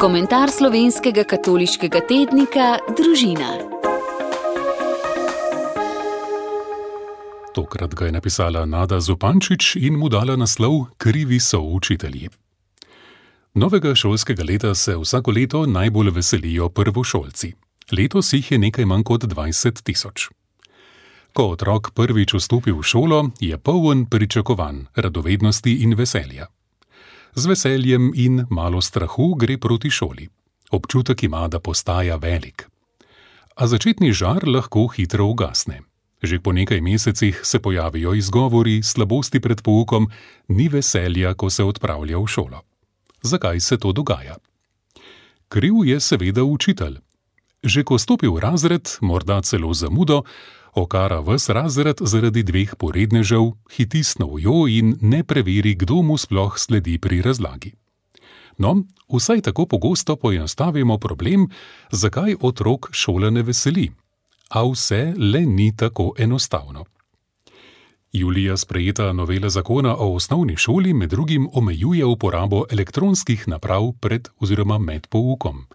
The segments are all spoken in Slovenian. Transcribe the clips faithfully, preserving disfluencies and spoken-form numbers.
Komentar slovenskega katoliškega tednika Družina. Tokrat ga je napisala Nada Zupančič in mu dala naslov Krivi so učitelji. Novega šolskega leta se vsako leto najbolj veselijo prvošolci. Letos jih je nekaj manj kot dvajset tisoč. Ko otrok prvič vstopi v šolo, je poln pričakovanj, radovednosti in veselja. Z veseljem in malo strahu gre proti šoli. Občutek ima, da postaja velik. A začetni žar lahko hitro ugasne. Že po nekaj mesecih se pojavijo izgovori, slabosti pred poukom, ni veselja, ko se odpravlja v šolo. Zakaj se to dogaja? Kriv je seveda učitelj. Že ko stopi v razred, morda celo zamudo, okara ves razred zaradi dveh porednežev, hiti s novjo in ne preveri, kdo mu sploh sledi pri razlagi. No, vsaj tako pogosto poenostavimo problem, zakaj otrok šola ne veseli. A vse le ni tako enostavno. Julija sprejeta novela zakona o osnovni šoli med drugim omejuje uporabo elektronskih naprav pred oziroma med poukom.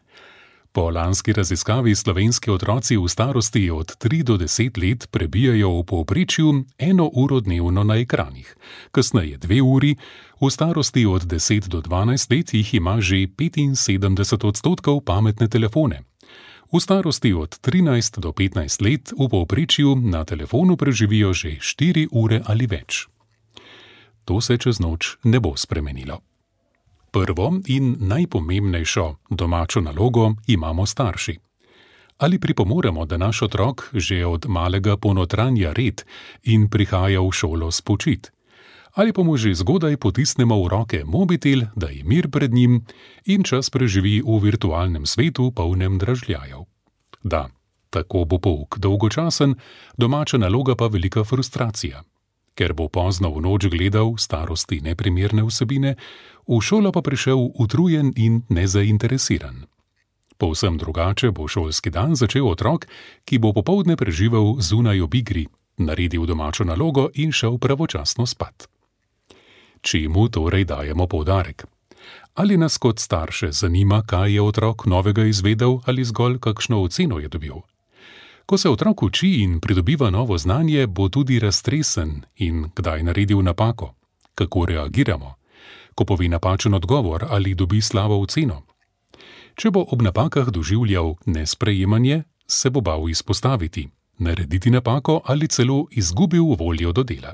Po lanski raziskavi slovenski otroci v starosti od tri do deset let prebijajo v povprečju eno uro dnevno na ekranih, kasneje dve uri, v starosti od deset do dvanajst let jih ima že petinsedemdeset odstotkov pametne telefone. V starosti od trinajst do petnajst let v povprečju na telefonu preživijo že štiri ure ali več. To se čez noč ne bo spremenilo. Prvo in najpomembnejšo domačo nalogo imamo starši. Ali pripomoremo, da naš otrok že od malega ponotranja red in prihaja v šolo spočit? Ali pa mu že zgodaj potisnemo v roke mobitel, da je mir pred njim in čas preživi v virtualnem svetu polnem dražljajev? Da, tako bo pouk dolgočasen, domača naloga pa velika frustracija. Ker bo pozno v noč gledal starosti neprimerne vsebine, v šolo pa prišel utrujen in nezainteresiran. Povsem drugače bo šolski dan začel otrok, ki bo popoldne preživel zunaj ob igri, naredil domačo nalogo in šel pravočasno spat. Čemu torej dajemo poudarek? Ali nas kot starše zanima, kaj je otrok novega izvedel ali zgolj kakšno oceno je dobil? Ko se otrok uči in pridobiva novo znanje, bo tudi raztresen in kdaj naredil napako. Kako reagiramo? Ko pove napačen odgovor ali dobi slabo oceno? Če bo ob napakah doživljal nesprejemanje, se bo bal izpostaviti, narediti napako ali celo izgubil voljo do dela.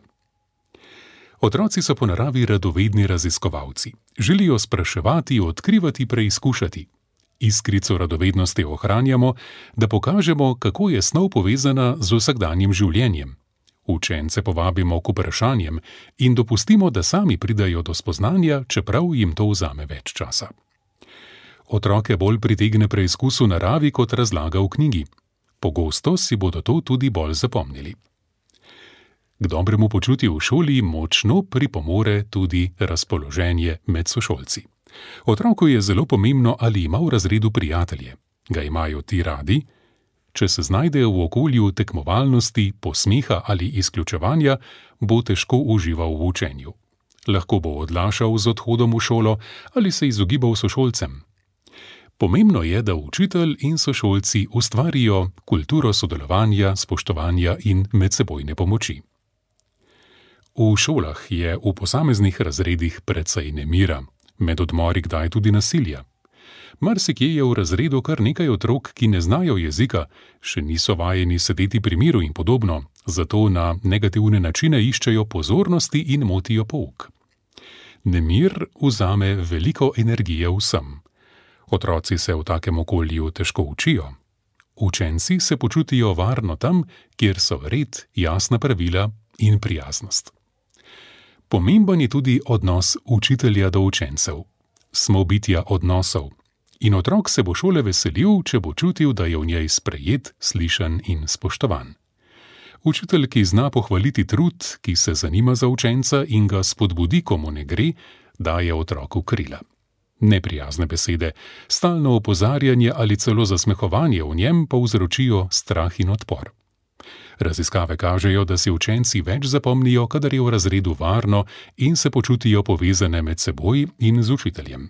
Otroci so po naravi radovedni raziskovalci. Želijo spraševati, odkrivati, preizkušati. Iskrico radovednosti ohranjamo, da pokažemo, kako je snov povezana z vsakdanjim življenjem. Učence povabimo k vprašanjem in dopustimo, da sami pridajo do spoznanja, čeprav jim to vzame več časa. Otroke bolj pritegne preizkus v naravi kot razlaga v knjigi. Pogosto si bodo to tudi bolj zapomnili. K dobremu počutju v šoli močno pripomore tudi razpoloženje med sošolci. Otroku je zelo pomembno, ali ima v razredu prijatelje. Ga imajo ti radi? Če se znajdejo v okolju tekmovalnosti, posmeha ali izključevanja, bo težko užival v učenju. Lahko bo odlašal z odhodom v šolo ali se izogibal sošolcem. Pomembno je, da učitelj in sošolci ustvarijo kulturo sodelovanja, spoštovanja in medsebojne pomoči. V šolah je v posameznih razredih precej nemira, med odmori kdaj tudi nasilja. Marsikje je v razredu kar nekaj otrok, ki ne znajo jezika, še niso vajeni sedeti pri miru in podobno, zato na negativne načine iščejo pozornosti in motijo pouk. Nemir vzame veliko energije vsem. Otroci se v takem okolju težko učijo. Učenci se počutijo varno tam, kjer so red, jasna pravila in prijaznost. Pomemben je tudi odnos učitelja do učencev. Smo bitja odnosov. In otrok se bo šole veselil, če bo čutil, da je v njej sprejet, slišan in spoštovan. Učitelj, ki zna pohvaliti trud, ki se zanima za učenca in ga spodbudi, ko mu ne gre, daje otroku krila. Neprijazne besede, stalno opozarjanje ali celo zasmehovanje v njem povzročijo strah in odpor. Raziskave kažejo, da si učenci več zapomnijo, kadar je v razredu varno in se počutijo povezane med seboj in z učiteljem.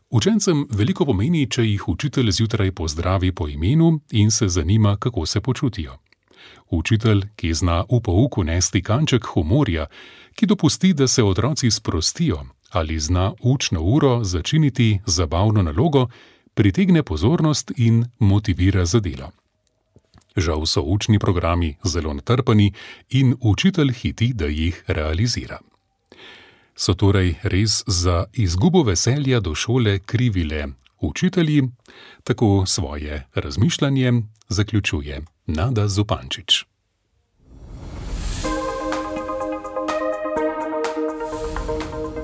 Učencem veliko pomeni, če jih učitelj zjutraj pozdravi po imenu in se zanima, kako se počutijo. Učitelj, ki zna v pouku nesti kanček humorja, ki dopusti, da se otroci sprostijo, ali zna učno uro začiniti zabavno nalogo, pritegne pozornost in motivira za delo. Žal so učni programi zelo natrpani in učitelj hiti, da jih realizira. So torej res za izgubo veselja do šole krivi le učitelji? Tako svoje razmišljanje zaključuje Nada Zupančič.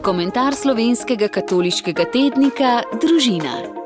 Komentar slovenskega katoliškega tednika Družina.